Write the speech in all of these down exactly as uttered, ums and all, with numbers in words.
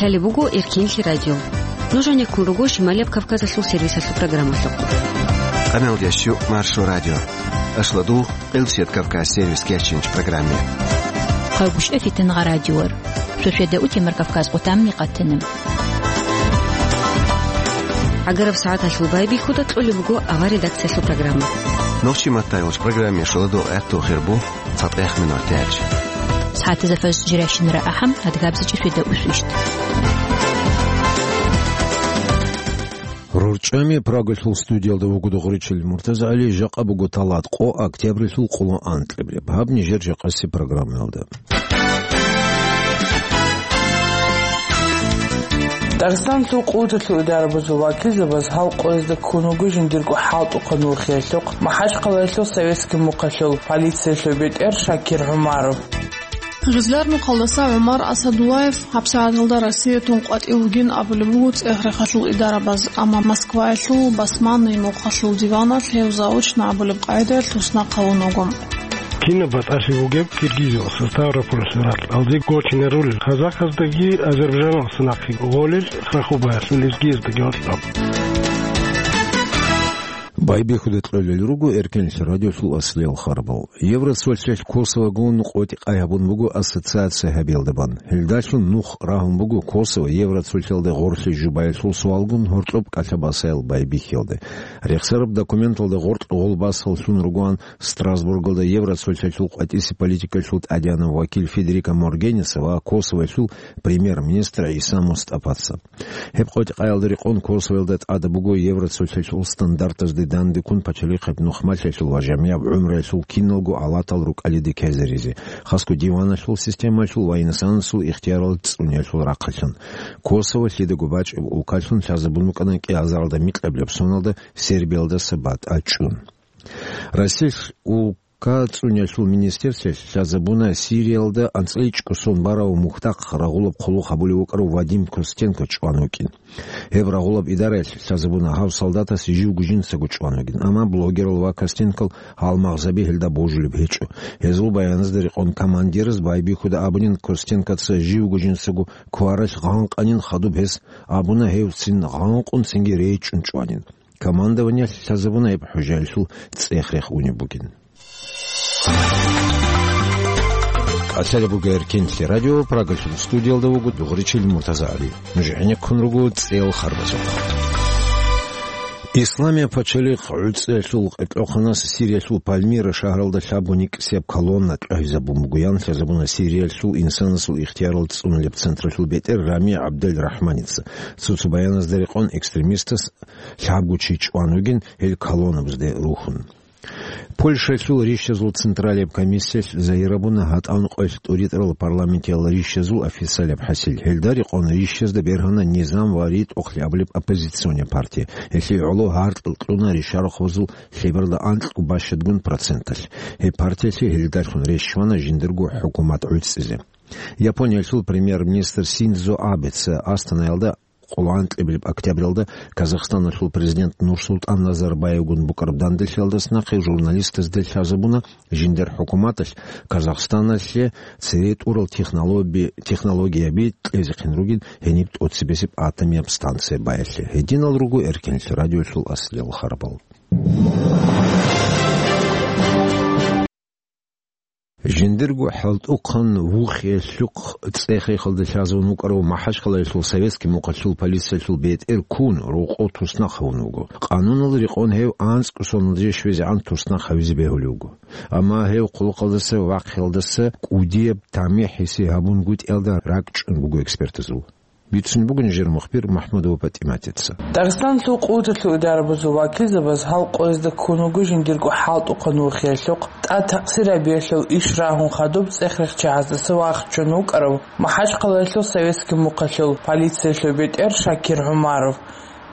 Гьале буго Эркенлъи радио. Нуж гьанеккун руго Шималияб Кавказалъул сервисалъул программалъухъ. Къамел ящу Маршо радио. Ашладул, Къилсият Кавказ сервис кечинч программе. Хъагушев Фитнагъа радиор. Шошеда утемар Кавказ къутамни къатана. Агараб сагӀаталъул байбихьуда кьолеб буго авар редакциялъул программа. Нохчи маттайгъуч программе шоладул гӀатту хирбу. Цадехъ минутач. СагӀатазда фажр жирайщинара ахӀам, адгабзичӀеб шида усвищ. РорчӀами Прагалъул студиялда вуго дугъричил МуртазагӀали, жакъа буго талат къо, октябрилъул къоло анкьабилеб. Гьаб нижер жакъаси программаялда. Дагъистанлъул къуваталъул идарабазул вакилзабаз гьал къоязда ккун вуго жиндирго хӀалтӀухъан вухиялъухъ МахӀачхъалаялъул Советский мухъалъул полициялъул бетӀер Шакир ГӀумаров. Жезлар мухъалдаса ГӀумар Асадуллаев гьабсагӀаталда Россиятун къватӀив вугин абулеб буго цӀех-рехалъул идарабаз, амма Москваялъул Басманный мухъалъул диваналъ гьев заочно абулеб къайдаялъ туснахъ гьавун вуго. Кинаб батӀалъи бугеб Киргизиялдаса Ставропольалъул ракьалде гочине рулел, казахаздаги азербайджаналдаса нахъе гъолел, Храхубаялъул лезгияздаги гьоркьоб. Байбихьуда кьолел руго Эркенлъи радиолъул аслиял харбал. Евроцолъалъ Косовогун къотӀи-къай гьабун буго ассоциация гьабиялда бан. Гьелдалъун нух рагьун буго Косово Евроцолъалде гъорлъе жубаялъул суалгун гьоркьоб кӀалъа басаял байбихьиялде. Рехсараб документалда гъоркь гъолбасал лъун ругоан Страсбургалда Евроцолъалъул къватӀисе политикалъул тӀадегӀанав вакил Федерика Моргенеса ва Косовоялъул премьер-министр ГӀиса Мустапаца. Гьеб къотӀи-къаялда рекъон Косовоялда тӀада буго Евроцолъалъул стандартазде дандеккун пачалихъаб нухмалъиялъул ва жамигӀаб гӀумруялъул киналго алатал рукӀалиде ккезаризе, хасго диваналъул системалъул ва инсанасул ихтиярал цӀуниялъул рахъалъан. Косово лъидаго бачӀеб улкалъун лъазабун букӀана кӀиазаралда микьабилеб соналда Сербиялдаса батӀа чӀун. Россиялъ улка цӀуниялъул министерствоялъ лъазабуна Сириялда анцӀила чӀужу сон барав мухьдахъ рагъулаб хъулухъ гьабулев вукӀарав Вадим Костенко чӀван вукӀин. Гьеб рагъулаб идараялъ лъазабуна гьав солдатас живго жинцаго чӀван вугин, амма блогерал ва Костенкол гьалмагъзаби гьелда божулеб гьечӀо. Гьезул баяназда рекъон командираз байбихьуда абунин, Костенкоца живго жинцаго кваралъ гъанкъанин хадуб гьес абуна, гьев цин гъанкъун цинги рейчӀчӀун чӀванин. Командованиялъ лъазабуна гьеб хӀужаялъул цӀех-рех унеб бугин. КӀалъалеб буго Эркенлъи радио, Прагалъул студиялда вуго дугъричил МуртазагӀали. Нуж гӀенеккун руго цӀел харбазухъ. Исламияб пачалихъ гӀуцӀиялъул къокъанас Сириялъул Пальмира шагьаралда лъабго никӀсияб колонна тӀагӀизабун бугоян лъазабуна Сириялъул инсанасул ихтиярал цӀунулеб централъул бетӀер Рами ГӀабдел-Рахманица. Цо-цо баяназда рекъон экстремистас лъабго чи чӀван вугин гьел колоннабазде рухьун. Польшалъул рищазул централияб комиссиялъ загьирабуна гьатӀан къоялъ тӀуритӀарал парламентиял рищазул официалияб хӀасил. Гьелда рекъон рищазда бергьана Низам ва ритӀухълъи абулеб оппозиционный партия. Гьелъие гӀоло гьаркьал кьуна ришарухъ базул лъеберда анкьго бащадгун проценталъ. Гьеб партиялъе гьелдалъун рещтӀана жиндирго хӀукумат гӀуцӀизе. Япониялъул премьер-министр Синдзо Абеца Астанаялда къоло анкьабилеб октябралда Казахстаналъул президент Нурсултан Назарбаевгун букӀараб данделъиялдаса нахъе журналистазда лъазабуна жиндир хӀукуматалъ Казахстаналъе цере тӀурал технологи-, технологияби кьезехъин ругин гьениб тӀоцебесеб атомияб станция баялъе. Гьединал руго Эркенлъи радиолъул аслиял харбал. Жиндирго хӀалтӀухъан вухиялъухъ цӀех-рехалда лъазавун вукӀарав МахӀачхъалаялъул Советский мухъалъул полициялъул бетӀер ккун, рокъов туснахъ гьавун вуго. Къануналда рекъон гьев анцӀго соналде щвезегӀан туснахъ гьавизе бегьулев вуго. Амма гьев хъулухъалдаса вахъиялдаса кӀудияб тамихӀ гьесие гьабунгутӀиялда ракӀчӀун буго экспертазул. Бицун буго нижер мухбир МахӀмудова ПатӀиматица. Дагъистанлъул къуваталъул идарабазул вакилзабаз гьал къоязда ккун вуго жиндирго хӀалтӀухъан вухиялъухъ, тӀад такъсир гьабиялъул иш рагьун хадуб цӀех-рехчагӀаздаса вахчун вукӀарав МахӀачхъалаялъул Советский мухъалъул полициялъул бетӀер Шакир ГӀумаров.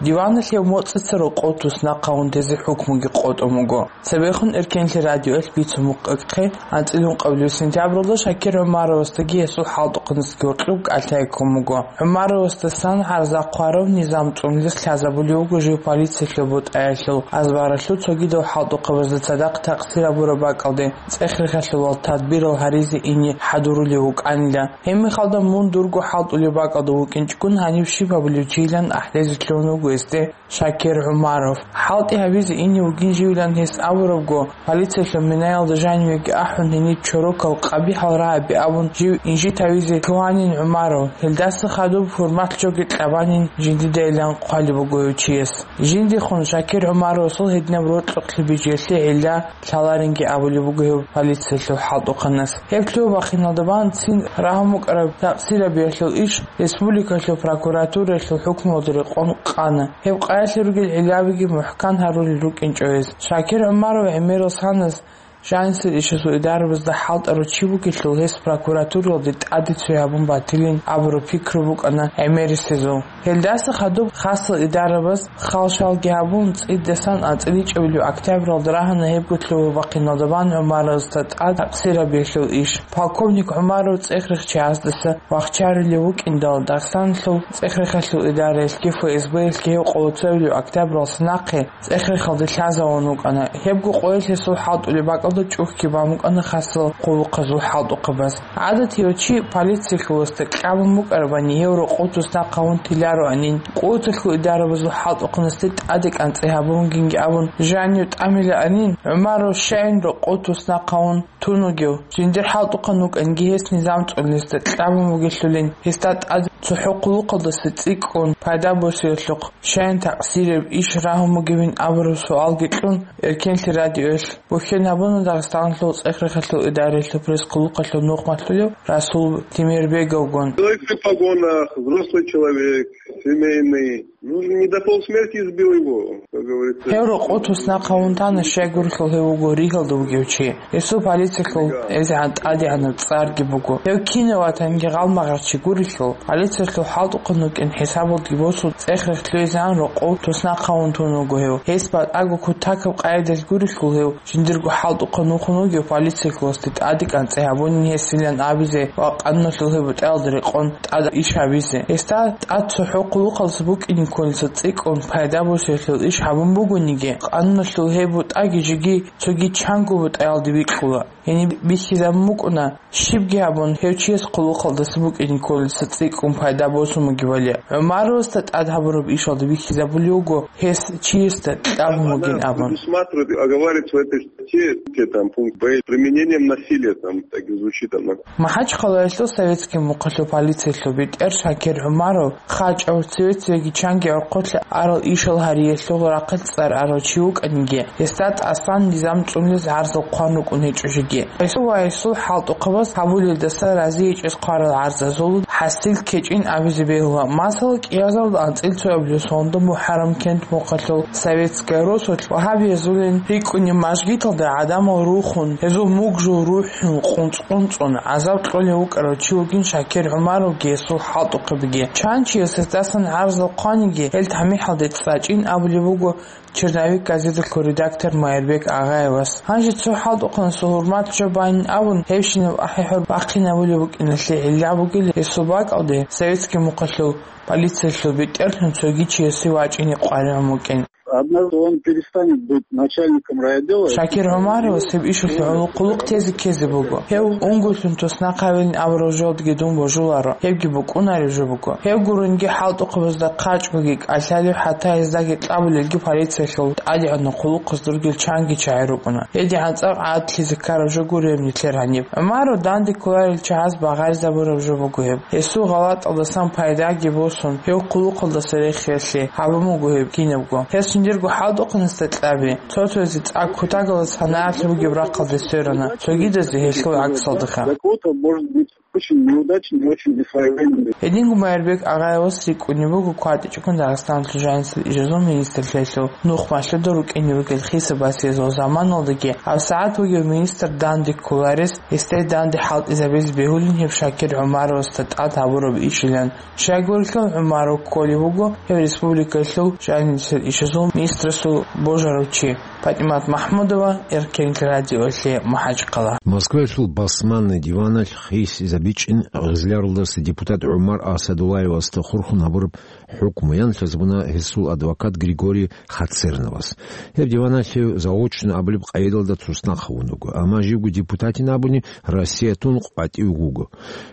Диваналъ гьев моцӀица рокъов туснахъ гьавун тезе хӀукмуги къотӀун буго. Цебехун Эркенлъи радиоялъ бицун букӀахъе, анцӀила ункъабилеб сентябралда Шакир ГӀумаровасдаги гьесул хӀалтӀухъанасдаги гьоркьоб кӀалъай ккун буго. ГӀумаровасдасан гӀарза хъварав низам цӀунулес лъазабулев вуго жив полициялъул бутӀаялъул азбаралъул цогидал хӀалтӀухъабазда цадахъ такъсир гьабураб бакӀалде цӀех-рехалъувал тадбирал гьаризе ине хӀадурулев вукӀанила. Гьеб мехалда мун дурго хӀалтӀулеб бакӀалда вукӀинчӀогун гьаниб щиб гьабулев чийилан ахӀдезе лъугьун вуго гьесде Шакир ГӀумаров. ХӀалтӀи гьабизе ине вугин живилан гьес абурабго, полициялъул минаялда жанивеги ахӀун гьениб чорокал къабихӀал рагӀаби абун жив инжит гьавизе лъугьанин ГӀумаров, гьелдаса хадуб хӀурмат жоги кьабанин жиндидайилан хъвалеб буго гьев чияс. Жиндихун Шакир ГӀумаровасул гьединаб рокьукълъи бижиялъе гӀилла лъаларинги абулеб буго гьев полициялъул хӀалтӀухъанас. Гьеб лъугьа-бахъиналда бан цин рагьун букӀараб такъсирабиялъул иш республикалъул прокуратураялъул хӀукмуялда рекъон къана. Гьеб къаялъе ругел гӀиллабиги мухӀкан гьарулел рукӀинчӀо гьез. Шакир ГӀумаров гӀемерал санас жанисел ишазул идарабазда хӀалтӀарав чи вугелъул, гьес прокуратуралде тӀаде цой гьабун батилин абураб пикру букӀана гӀемерисезул. Гьелдаса хадуб хасал идарабаз хал-шалги гьабун, цӀидасан анцӀила ичӀабилеб октябралда рагьана гьебго лъугьа-бахъиналда бан ГӀумаровасда тӀад такъсирабиялъул иш. Полковник ГӀумаров цӀех-рехчиясдаса вахчарулев вукӀиндал, Дагъистаналъул цӀех-рехалъул идараялъги ФСБ-ялъги гьев къоло цоябилеб октябралдаса нахъе цӀех-рехалде лъазавун вукӀана. Гьебго къоялъ гьесул хӀалтӀулеб бакӀалда чӀухьги бан букӀана хасал хъулухъазул хӀалтӀухъабаз. ГӀадатияв чи полициялъувасда кьабун букӀарабани, гьев рокъов туснахъ гьавун тилароанин, кӀудиялъул идарабазул хӀалтӀухъанасде тӀаде кӀанцӀи гьабун вугинги абун жанив тӀамилаанин, ГӀумаров щайин рокъов туснахъ гьавун тун вугев, жиндир хӀалтӀухъан вукӀанги гьес низам цӀунулесда кьабун бугелъулин, гьесда тӀад цохӀо хъулухъалдаса цӀикӀкӀун пайда босиялъухъ щайин такъсираб иш рагьун бугевин абураб суалги кьун, Эркенлъи радиоялъ бухьен гьабуна Дагъистаналъул цӀех-рехалъул идараялъул пресс-хъулухъалъул нухмалъулев Расул Темирбеговгун. Человек при погонах, взрослый человек, семейный. Ну, не до полусмерти избил его, как говорится. Гьев рокъов туснахъ гьавун тана, щайгурелъул гьев вуго ригьалда вугев чи. Гьесул полициялъул эзегӀан тӀадегӀанаб цӀарги буго. Гьев кинав ватанги гъалмагъар чи гурелъул, полициялъул хӀалтӀухъан вукӀин хӀисабалги босун, цӀех-рех лъугӀизегӀан рокъов туснахъ гьавун тун вуго гьев. Гьес батӀаго кутакаб къайдалъ гурелъул гьев жиндирго хӀалтӀухъан вухун вугев полициялъувасде тӀаде кӀанцӀи гьабунин гьесилан абизе ва къануналъул гьеб бутӀаялда рекъон тӀад иш гьабизе. Гьесда тӀад цохӀо хъулухъалдаса букӀине кколелдаса цӀикӀкӀун пайда босиялъул иш гьабун бугониги, къануналъул гьеб бутӀаги жеги цоги чанго бутӀаялде бикьула. Гьениб бихьизабун букӀуна, щибги гьабун, гьев чияс хъулухъалдаса букӀине кколелдаса цӀикӀкӀун пайда босун бугебали. ГӀумаровасда тӀад гьабураб ишалда бихьизабулев вуго гьес чиясда кьабун бугин абун. Предусматривает, оговаривается в этой статье, там, пункт Б, применением насилия, там, так и звучит она. МахӀачхъалаялъул Советский мухъалъул полициялъул бетӀер Шакир ГӀумаров хъачӀав, цеве-цевеги чанги гӀорхъулъа арал ишал гьариялъул рахъалъ цӀар арав чи вукӀаниги, гьесда тӀасан низам цӀунулез гӀарзал хъван рукӀун гьечӀо жеги. Гьесул ва гьесул хӀалтӀухъабаз гьабулелдаса разиячӀез хъварал гӀарзазул хӀасил ккечӀин абизе бегьула. Масала, кӀиазарда анцӀила цоабилеб сонда МухӀаррам кент мухъалъул Советская росулъ вагьабиязулин рикӀкӀунеб мажгиталда гӀадамал рухун, гьезул мугжул рухӀун къунцӀ-къунцӀун гӀазаб кьолев вукӀарав чи вугин Шакир ГӀумаровги гьесул хӀалтӀухъабиги. Чан чияс гьесдасан гӀарзал хъваниги, гьел тамихӀалде цӀачӀин абулеб буго «Черновик» газеталъул редактор Майрбек Агъаевас. Гьанже цо хӀалтӀухъанасул гьурмат жо байин абун, гьебщинаб ахӀи-хӀур бахъинабулеб букӀиналъе гӀилла бугила гьесул бакӀалде Советский мухъалъул полициялъул бетӀерлъун цоги чиясе вачӀине къваригӀун вукӀин. Однажды он перестанет быть начальником райотдела. Шакир ГӀумаровас гьеб ишалъе гӀоло хъулухъ тезе ккезе буго. Гьев унгойлъун туснахъ гьавилин абурал жоялдеги дун божуларо, гьебги букӀунареб жо буго. Гьев гурунги хӀалтӀухъабазда хъачӀгоги кӀалъалев, хӀатта гьездаги кьабулелги полициялъул тӀадегӀанаб хъулухъазда ругел чанги чагӀи рукӀуна. ГьедигӀан цӀакъ гӀадлъизе ккараб жо гуреб нилъер гьаниб. ГӀумаров данде кколарел чагӀаз багъаризабураб жо буго гьеб. Гьесул гъалатӀалдасан пайдаги босун, гьев хъулухъалдаса рехиялъе гьабун буго гьеб кинабго. Гьес Жиндирго хӀалтӀухъанасда кьаби, цо-цоязе цӀакъ кутакалда санагӀалъи бугеб рахъалде сверана, цогидазе гьелъул гӀаксалдаха. Для кого-то может быть очень неудачный, очень несвоевременный. Гьединго Майрбек Агъаевас рикӀкӀунеб буго КватӀичӀогун Дагъистаналъул жанисел ишазул министрлъиялъул нух малъуда рукӀине ругел хисаб-басиязул заманалдаги, гьабсагӀат вугев министр данде кколарес, гьесда данде хӀалтӀизабизе бегьулин гьеб Шакир ГӀумаровасда тӀад гьабураб ишилан. Щайгурелъул ГӀумаров кколев вуго гьев республикалъул жанисел ишазул министрасул божарав чи. ПатӀимат МахӀмудова, Эркен радиолъе, МахӀачхъала. Москваялъул Басманный диваналъ хисизабичӀин Гъизляралдаса депутат ГӀумар Асадуллаевасда хурхун гьабураб хӀукму ян лъазабуна гьесул адвокат Григорий Хацерновас. Гьеб диваналъ гьев заочно абулеб къайдалда туснахъ гьавун вуго, амма живго депутатин абуни Россиятун къватӀив вуго.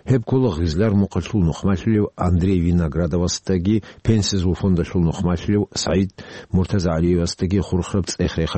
Гьеб ккола Гъизлар мухъалъул нухмалъулев Андрей Виноградовасдаги пенсиязул фондалъул нухмалъулев СагӀид МуртазагӀалиевасдаги хурхараб цӀех-рехалъул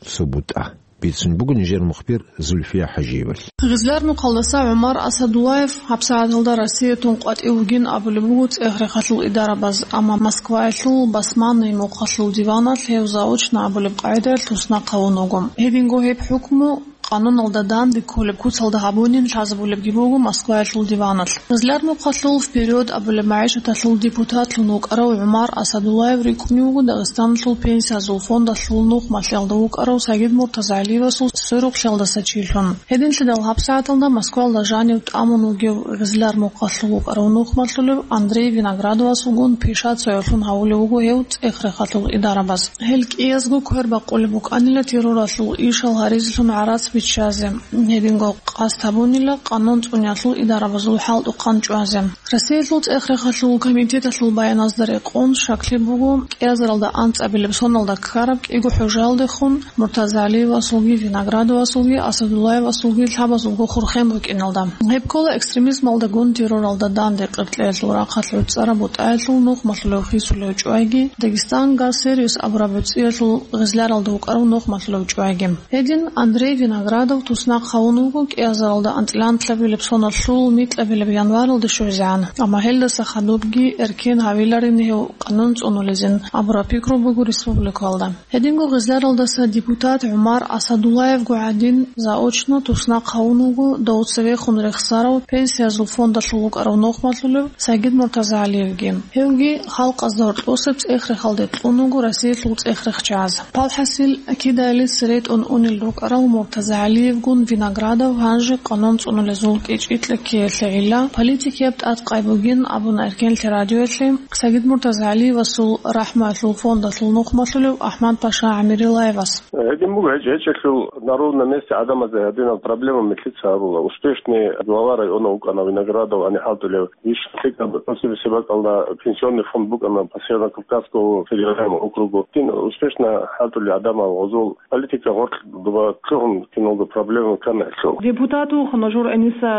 цо бутӀа. Бицун буго нижер мухбир Зульфия ХӀажиевалъ. Гъизлар мухъалдаса ГӀумар Асадуллаев гьабсагӀаталда Россиятун къватӀив вугин абулеб буго цӀех-рехалъул идарабаз, амма Москваялъул Басманный мухъалъул диваналъ гьев заочно абулеб къайдаялъ туснахъ гьавун вуго. Гьединго гьеб хӀукму къануналда данде кколеб куцалда гьабунин лъазабулебги буго Москваялъул диваналъ. Гъизлар мухъалъул «Вперёд» абулеб магӀишаталъул депутатлъун вукӀарав ГӀумар Асадуллаев рикӀкӀунев вуго Дагъистаналъул пенсиязул фондалъул нухмалъиялда вукӀарав Сагид МуртазагӀалиевасул сверухълъиялдаса чилъун. Гьединлъидал гьабсагӀаталда Москваялда жанив тӀамун вугев Гъизлар мухъалъул вукӀарав нухмалъулев Андрей Виноградовасулгун пишацаялъун гьавулев вуго гьев цӀех-рехалъул идарабаз. Гьел кӀиязго квербакъулеб букӀанила терроралъул ишал гьаризелъун гӀарац биччазе, гьединго къасд гьабунила къанун цӀуниялъул идарабазул хӀалтӀухъан чӀвазе. Россиялъул цӀех-рехалъул комитеталъул баяназда рекъон, щаклъи буго, кӀиазаралда анцӀабилеб соналда ккараб кӀиго хӀужаялдехун МуртазагӀалиевасулги, Виноградовасулги, Асадуллаевасулги лъабазулго хурхен рукӀиналда. Гьеб ккола экстремизмалдагун терроралда данде къеркьеялъул рахъалъ гӀуцӀараб бутӀаялъул нухмалъулев хисулев чӀвайги, «Дагестан газ сервис» абураб гӀуцӀиялъул Гъизляралда вукӀарав нухмалъулев чӀвайги. Гьедин Андрей Виноградов туснахъ гьавун вуго кӀиазаралда анцӀила анлъабилеб соналъул микьабилеб январалде щвезегӀан, амма гьелдаса хадубги эркен гьавиларин гьев къанун цӀунулезин абураб пикру буго республикалда. Гьединго Гъизляралдаса депутат ГӀумар Асадуллаевго гӀадин заочно туснахъ гьавун вуго дов цевехун рехсарав пенсиязул фондалъул вукӀарав нухмалъулев Сагид МуртазагӀалиевги. Гьевги халкъазда гьоркьосеб цӀех-рехалде кьун вуго Россиялъул цӀех-рехчаз. Палхасил кидаялица ретӀун унел рукӀарав МуртазагӀалиевгун Виноградов гьанже къанун цӀунулезул кӀичӀи-кьеккиялъе гӀилла политикияб тӀадкъай бугин абуна Эркенлъи радиоялъе Сагид МуртазагӀалиевасул рахӀмуялъул фондалъул нухмалъулев АхӀмад-паша ГӀамирилаевас. Гьедин буго, гьечӀ-гьечӀелъул на ровном месте гӀадамазда гьадинал проблема милълъица гьарула. Успешный глава района вукӀана Виноградов, гьаниб хӀалтӀулев, иш лъикӀаб, после бакӀалда пенсионный фонд букӀана по Северо-Кавказскому федеральному округу. Гьедин успешно хӀалтӀулел гӀадамал гъозул политика гъоркь дуба лъугьун киналго проблема ккана гьелъул. Депутат вугин нужер гӀениса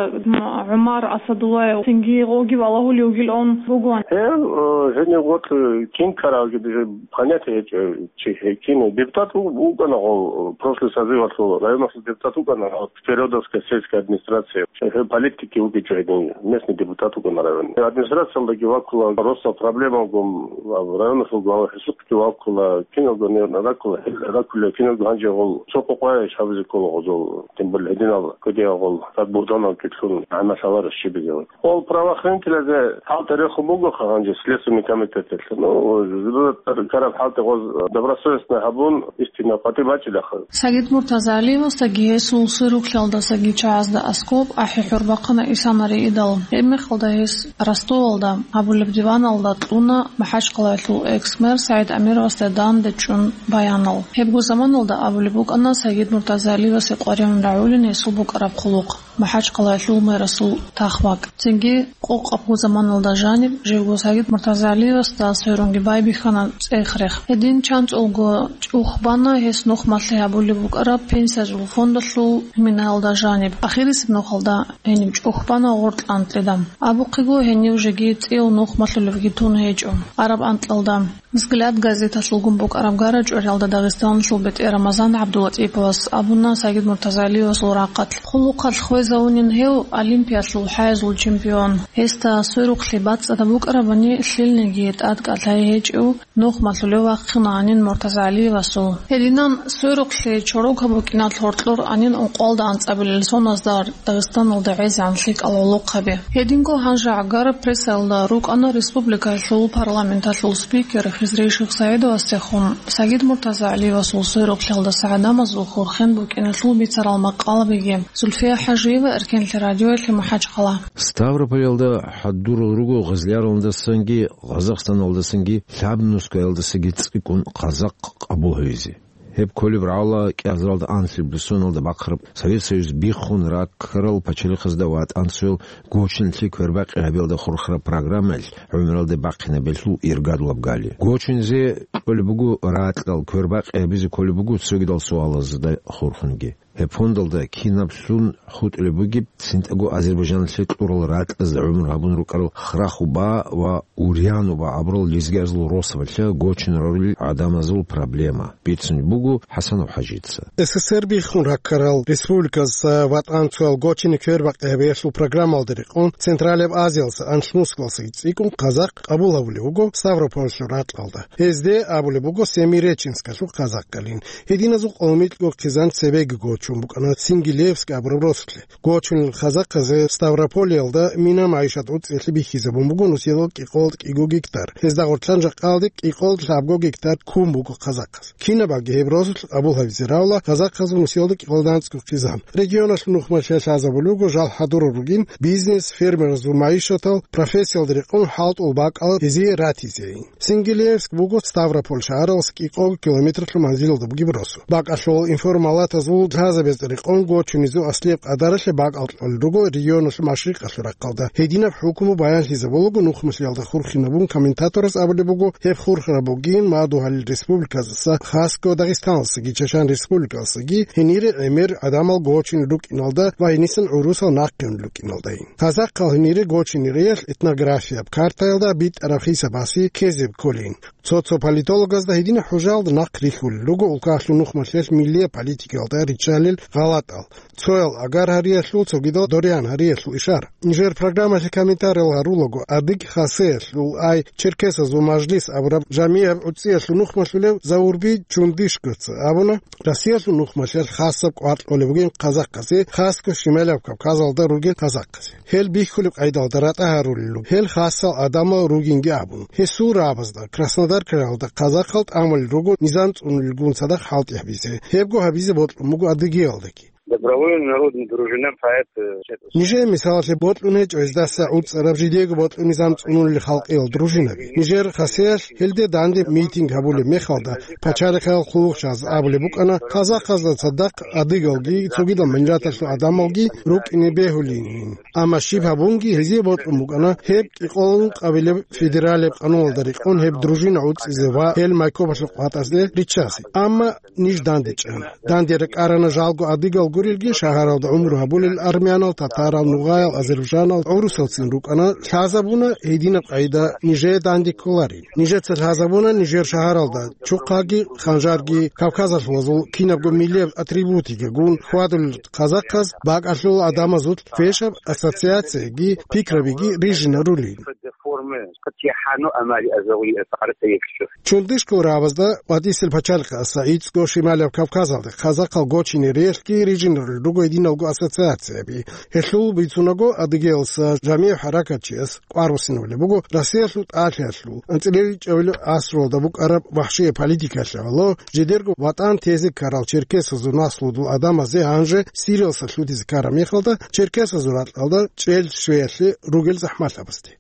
ГӀумар Асадуллаев, цинги гъоги валагьулев вугилан бугоан. Гьев, э, гьенив гъоркь кин ккаралги понятие гьечӀо, чи гьекин. Депутат ву-, вукӀана гъов, э, прошлый созывалъул районалъул депутат вукӀана, вот, Передовская сельская администрация. Гьев политике вугичӀо гьедин, местный депутат вукӀана район. Администрациялдаги ваккула, просто проблемалгун, районалъул глава гьесухъги ваккула, киналго не раккула, раккула, киналго гьанже гъол цо къокъваеш гьабизе ккола гъозул, тем более гьединал кодиягъол, как Бугданов китлъун, гӀамалаларищ щибизе. Ол правоохранителязе хӀалтӀи рехун бугоха гьанже Следственный комитеталъ. Ну, караб хӀалтӀи гъоз добросовестно гьабун, истина къватӀиб бачӀилаха. Сагид МуртазагӀалиевасдаги гьесул сверухълъиялдасаги чагӀазда аскӀоб ахӀи-хӀур бахъана исанари идал. Гьеб мехалда гьес Ростовалда гьабулеб диваналда кьуна МахӀачхъалаялъул экс-мэр СагӀид Амировасда данде чӀун баянал. Гьебго заманалда абулеб букӀана Сагид МуртазагӀалиевасе къваригӀун рагӀулин гьесул букӀараб хъулухъ. МахӀачхъалаялъул мэрасул тахвак. Цинги къокъабго заманалда жаниб, живго Сагид МуртазагӀалиевасда сверунги байбихьана цӀех-рех. Гьедин чанцӀулго чӀухбана гьес нухмалъи гьабулеб букӀараб пенсиязул фондалъул минаялда жаниб. Ахирисеб нухалда гьениб чӀухбана гъоркь анкьида. Абухъего, гьенив жеги цӀияв нухмалъулевги тун гьечӀо. Араб анкьалда. «Взгляд» газеталъулгун букӀараб гарачӀвариялда Дагъистаналъул бетӀер Рамазан ГӀабдулатӀиповас абуна Сагид МуртазагӀалиевасул рахъалъ. Хъулухъалъ хвезавунин гьев Олимпиялъул хӀайзул чемпион. Гьесда сверухълъи бацӀцӀадаб букӀарабани, лъилниги тӀадкӀал гьечӀев нухмалъулев вахъинанин МуртазагӀалиевасул. Гьединан сверухълъи чорокаб букӀиналъ гьоркьор анин ункъоялда анцӀабилел соназда Дагъистаналда гӀезегӀан лъикӀал гӀолохъаби. Гьединго гьанже гӀагар прессаялда рукӀана республикаялъул парламенталъул спикер Хизри Шихсаидовасдехун Сагид МуртазагӀалиевасул сверухълъиялдаса гӀадамазул хурхен букӀиналъул бицарал макъалабиги. Зульфия ХӀажиева, Эркенлъи радиоялъе МахӀачхъала. Ставрополалда хӀадурал руго Гъизляралдасанги, Гъазахстаналдасанги, Лъабнускаялдасаги цӀикӀкӀун къазахъ къабул гьавизе. Гьеб кколеб рагӀула кӀиазаралда анлъабилеб соналда бахъараб Совет Союз биххун раккарал пачалихъазда ВатӀан цоял гочиналъе квербакъи гьабиялда хурхараб программаялъ гӀумруялде бахъинаб гьелъул иргадулаб гали. Гочиназе кьолеб буго ракьал, квербакъи гьабизе кколеб буго цогидал суалазда хурхунги. Гьеб фондалда кинаблъун хутӀулеб бугеб, цинтӀаго Азербайджаналъе кьурал ракьазда гӀумру гьабун рукӀарал Храхуба ва Урянуба абурал лезгиязул росабалъа гочине рорулел гӀадамазул проблема, бицунеб буго ХӀасанов ХӀажица. СССР биххун раккарал республиказдаса ВатӀан цоял гочине квербакъи гьабиялъул программалда рекъон Централияб Азиялдаса анлъмускалдасаги цӀикӀкӀун къазахъ къабул гьабулев вуго Ставрополалъул ракьалда. Гьезде абулеб буго Семиреченскалъул къазахъалин. Гьединазул къоло микьго хъизан цебеги гочун букӀана Сингилевск абураб росулъе. Гочунел къазахъазе Ставрополиялда мина-магӀишат гӀуцӀиялъе бихьизабун буго нусиялда кӀикъоялда кӀиго гектар. Гьезда гъорлъан жакъаялде кӀикъоялда лъабго гектар ккун буго къазахъаз. Кинабаги гьеб росулъ къабул гьабизе равла къазахъазул нусиялда кӀикъоялда анцӀго хъизан. Регионалъул нухмалъе лъазабулеб буго жал хӀадурал ругин бизнес, фермерзул магӀишатал, профессиялда рекъон хӀалтӀул бакӀал гьезие ратизейин. Сингилевск буго Ставрополь шагьаралъ кӀикъого километрлъун манзилалда бугеб росу. Бакъалъул информалатазул лъазабазда рекъон гочунезул аслияб къадаралъе бакӀал кьолел руго регионалъул машрикъалъул рахъалда. Гьединаб хӀукму баянлъизабулаго нухмалъиялда хурхинабун комментаторас абулеб буго, гьеб хурхараб бугин мадугьалил республиказаса, хасго Дагъистаналдасаги Чачан республикалдасаги гьенире гӀемер гӀадамал гочине рукӀиналда ва гьенисан гӀурусал нахъе унел рукӀиналдайин. Къазахъал гьенире гочинериялъ этнографияб картаялда битӀараб хисабасе ккезе кколин. Цо-цо политологазда гьединаб хӀужаялда нахъ рихьулел руго улкалъул нухмалъиялъ миллияб политикаялда риччалел гъалатӀал. Цоял агар гьариялъул, цогидал дориян гьариялъул ишар. Нижер программалъе комментариял гьарулаго, адыги хасиялъул, ай, черкесазул мажлис абураб жамигӀаб гӀуцӀиялъул нухмалъулев Заурби Чундышкоца абуна, Россиялъул нухмалъиялъ хасаб къваркьулеб бугин къазахъазе, хасго Шималаб Кавказалда ругел къазахъазе. Гьел бихьулеб къайдалда ратӀа гьарулел руго, гьел хасал гӀадамал ругинги абун. Гьесул рагӀабазда Краснодар крайалда къазахъал тӀамулел руго низам цӀунулелгун цадахъ хӀалтӀи гьабизе. Гьебго гьабизе бокьун буго Адыгеялдаги. Добровольно народный дружина поэт, э, Нижее мисалалъе бокьун гьечӀо гьездаса гӀуцӀараб жидеего бокьун низам цӀунулел халкъиял дружинаби. Нижер хасиялъ гьелде данде митинг гьабулеб мехалда, пачалихъал хъулухъчияз абулеб букӀана, къазахъазда цадахъ адыгалги, цогидал миллаталъул гӀадамалги рукӀине бегьулин. Амма щиб гьабунги гьезие бокьун букӀана гьеб кӀикъоялда ункъабилеб федералияб къануналда рекъон гьеб дружина гӀуцӀизе ва гьел майкопалъухъ ватӀазе риччазе. Амма ниж дандечӀана. Данде рекъарана жалго адыгал гурелги, шагьаралда гӀумру гьабулел армянал, татарал, нугъаял, азербайджанал, гӀурусалцин рукӀана, лъазабуна гьединаб къайда нижее данде кколарин. Нижеца лъазабуна нижер шагьаралда чухъаги, ханжарги, кавказалъулазул кинабго миллияб атрибутигагун хьвадулел къазахъаз бакӀалъул гӀадамазул квешаб ассоциацияги пикрабиги рижинарулин. Чундышкал рагӀабазда ва Дисел пачалихъаса гӀицӀго Шималаб Кавказалда къазахъал гочинериялъги рижинарулел руго гьединалго ассоциацияби. Гьелъул бицунаго, Адыгеялдаса жамигӀ хӀаракатчияс кӀвар буссинабулеб буго Россиялъул тӀалъиялъул анцӀила ичӀабилеб гӀасруялда букӀараб вахӀшияб политикаялъ гӀоло, жидерго ватӀан тезе ккарал черкесазул наслудул гӀадамазе гьанже Сириялдаса лъутизе ккараб мехалда черкесазул ракьалда чӀел щвеялъе ругел захӀмалъабазде.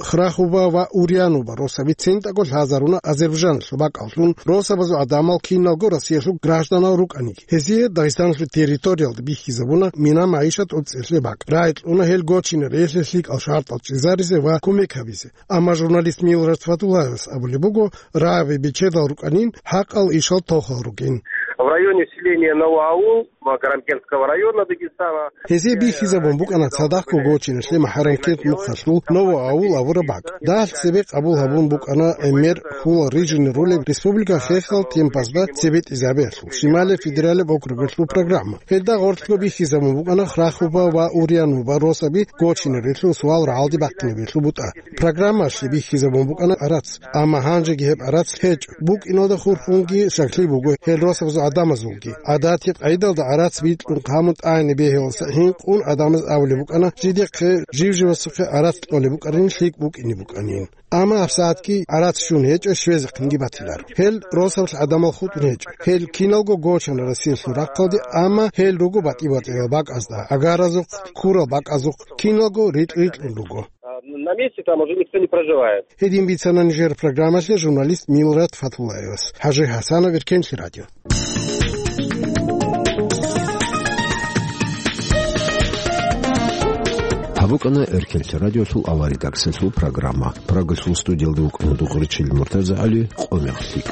Храхуба ва Урянуба росаби цинтӀаго лъазаруна Азербайджаналъул бакӀаллъун, росабазул гӀадамал киналго Россиялъул гражданал рукӀаниги. Гьезие Дагъистаналъул территориялда бихьизабуна мина-магӀишат гӀуцӀиялъе бакӀ. РагӀи кьуна гьел гочинериялъе лъикӀал шартӀал чӀезаризе ва кумек гьабизе. Амма журналист Милрат Фатуллаевас абулеб буго, рагӀаби бечедал рукӀанин, хӀакъал ишал тохал ругин. В районе селения Новоаул Магарамкентского района Дагестана. Гьезие бихьизабун букӀана цадахъго гочиналъе МахӀарамкент мухъалъул Новоаул абураб бакӀ. Дагьалъ цебе къабул гьабун букӀана гӀемер хьулал рижине ролеб республика хехал темпазда цебетӀизабиялъул, Шималияб федералияб округалъул программа. Гьелда гъорлъго бихьизабун букӀана Храхуба ва Урянуба росаби гочинарелъул суал рагӀалде бахъинабиялъул бутӀа. Программалъе бихьизабун букӀана гӀарац, амма гьанжеги гьеб гӀарац гьечӀо. БукӀиналда хурхунги щаклъи буго гьел росабазул гӀадамазулги. ГӀадатил къайдалда гӀарац бикьун хъамун тӀагӀине бегьуласа гьинкъун гӀадамаз абулеб букӀана, жидехъе жив-живасухъе гӀарац кьолеб букӀарин, лъикӀ букӀине букӀанин. Амма гьабсагӀатги гӀарац щун гьечӀо, щвезехъинги батиларо. Гьел росабалъ гӀадамал хутӀун гьечӀо. Гьел киналго гочана Россиялъул рахъалде, амма гьел руго батӀи-батӀиял бакӀазда, гӀагаразухъ, ккурал бакӀазухъ, киналго рикь-рикьун руго. А, на месте там уже никто не проживает. Гьедин бицана нижер программалъе журналист Милрат Фатуллаевас. ХӀажи ХӀасанов, Эркенлъи радио. Гьаб букӀана Эркенлъи радиолъул аварагасалъул программа. Прагалъул студиялда вукӀана Дугъричил МуртазагӀали, къо мехлъи.